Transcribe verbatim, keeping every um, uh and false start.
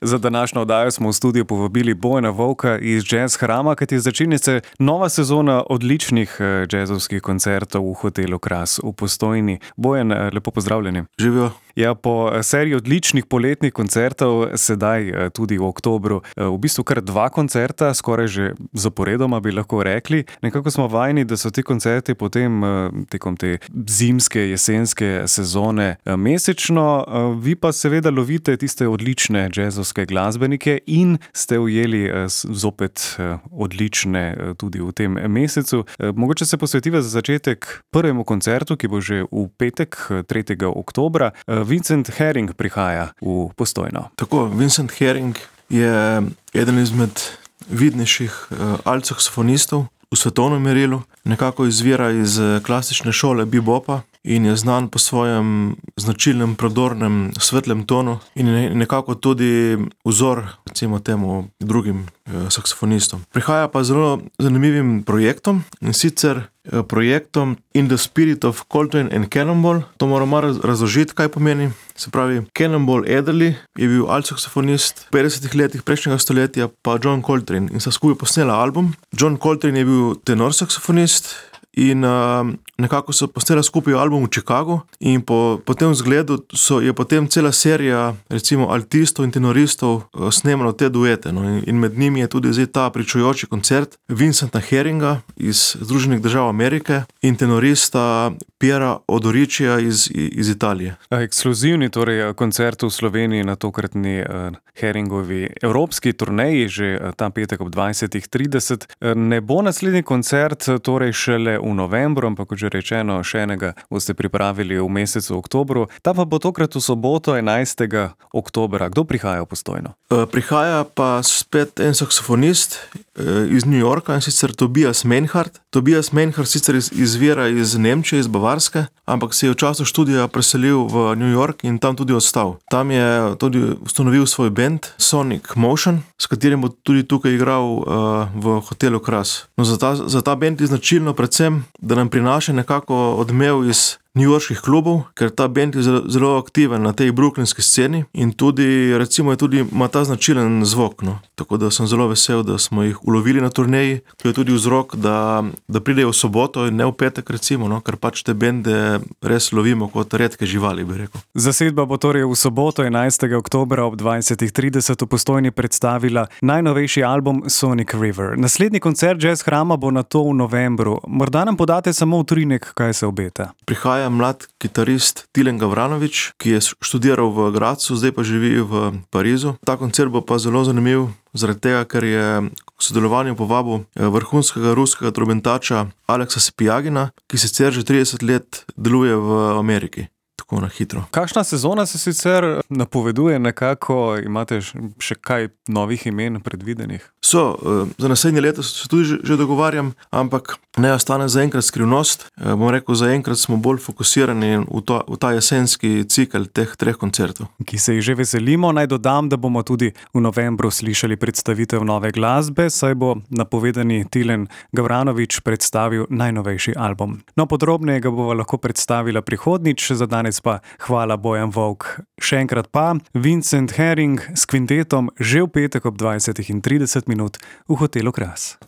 Za današnjo oddajo smo v studio povabili Bojana Vovka iz Jazz Hrama, kajti začenja se nova sezona odličnih jazzovskih koncertov v hotelu Kras v Postojni. Bojan, lepo pozdravljeni. Živijo. Ja, po seriji odličnih poletnih koncertov, sedaj tudi v oktobru, v bistvu kar dva koncerta, skoraj že zaporedoma bi lahko rekli. Nekako smo vajeni, da so ti koncerti potem tekom te zimske, jesenske sezone mesečno. Vi pa seveda lovite tiste odlične jazzovske glasbenike in ste ujeli zopet odlične tudi v tem mesecu. Mogoče se posvetiva za začetek prvemu koncertu, ki bo že v petek, tretjega oktobra. Vincent Herring prihaja v Postojno. Tako, Vincent Herring je eden izmed vidnejših alt-saksofonistov v svetovnem merilu. Nekako izvira iz klasične šole bebopa in je znan po svojem značilnem, prodornem, svetlem tonu in je nekako tudi vzor, recimo temu, drugim saksofonistom. Prihaja pa zelo zanimivim projektom, in sicer projektom In the Spirit of Coltrane and Cannonball. To moram malo razložiti, kaj pomeni. Se pravi, Cannonball Adderley je bil alt-saksofonist v petdesetih letih prejšnjega stoletja, pa John Coltrane, in sta skupaj posnela album. John Coltrane je bil tenor saksofonist in uh, nekako so posnela skupaj album v Chicagu in po, po tem zgledu so, je potem cela serija recimo altistov in tenoristov uh, snemalo te duete. No? In, in med njimi je tudi zdaj ta pričujoči koncert Vincenta Herringa iz Združenih držav Amerike in tenorista Piera Odoričija iz, iz Italije. Ekskluzivni torej koncert v Sloveniji na tokratni uh, Herringovi evropski turneji, že uh, ta petek ob dvajsetih trideset. Uh, ne bo naslednji koncert torej šele v novembru, ampak kot že rečeno, še enega boste pripravili v mesecu oktobru. Ta pa bo tokrat v soboto enajstega oktobra. Kdo prihaja v Postojno? Uh, prihaja pa spet en saksofonist uh, iz New Yorka, in sicer Tobias Meinhardt. Tobias Meinhardt sicer iz, izvira iz Nemčije, iz Bavarske, ampak se je v času študija preselil v New York in tam tudi ostal. Tam je tudi ustanovil svoj band Sonic Motion, s katerim bo tudi tukaj igral uh, v hotelu Kras. No, za ta, za ta band je značilno predvsem, da nam prinaša nekako odmev iz newyorških klubov, ker ta band je zelo, zelo aktiven na tej brooklynski sceni in tudi, recimo, je tudi, ima ta značilen zvok, no. Tako da sem zelo vesel, da smo jih ulovili na turneji. To je tudi vzrok, da, da pridejo v soboto in ne v petek, recimo, no, ker pač te bende res lovimo kot redke živali, bi rekel. Zasedba bo torej v soboto enajstega oktobra ob dvajsetih trideset v Postojni predstavila najnovejši album Sonic River. Naslednji koncert Jazz Hrama bo na to v novembru. Morda nam podate samo utrinek, kaj se obeta. Prihaja mlad kitarist Tilen Gavranović, ki je študiral v Gradcu, zdaj pa živi v Parizu. Ta koncert bo pa zelo zanimiv, zaradi tega, ker je k sodelovanju povabil vrhunskega ruskega trobentača Aleksa Sepijagina, ki sicer že trideset let deluje v Ameriki. Tako na hitro. Kakšna sezona se sicer napoveduje nekako? Imate še kaj novih imen predvidenih? So, za naslednje leto se tudi že, že dogovarjam, ampak ne ostane zaenkrat skrivnost. Bom rekel, zaenkrat smo bolj fokusirani v, to, v ta jesenski cikel teh treh koncertov. Ki se jih že veselimo. Naj dodam, da bomo tudi v novembru slišali predstavitev nove glasbe, saj bo napovedani Tilen Gavranović predstavil najnovejši album. No, podrobneje ga bova lahko predstavila prihodnič, za danes pa hvala Bojan Vovk. Še enkrat pa Vincent Herring s kvintetom že v petek ob dvajsetih trideset minut v hotelu Kras.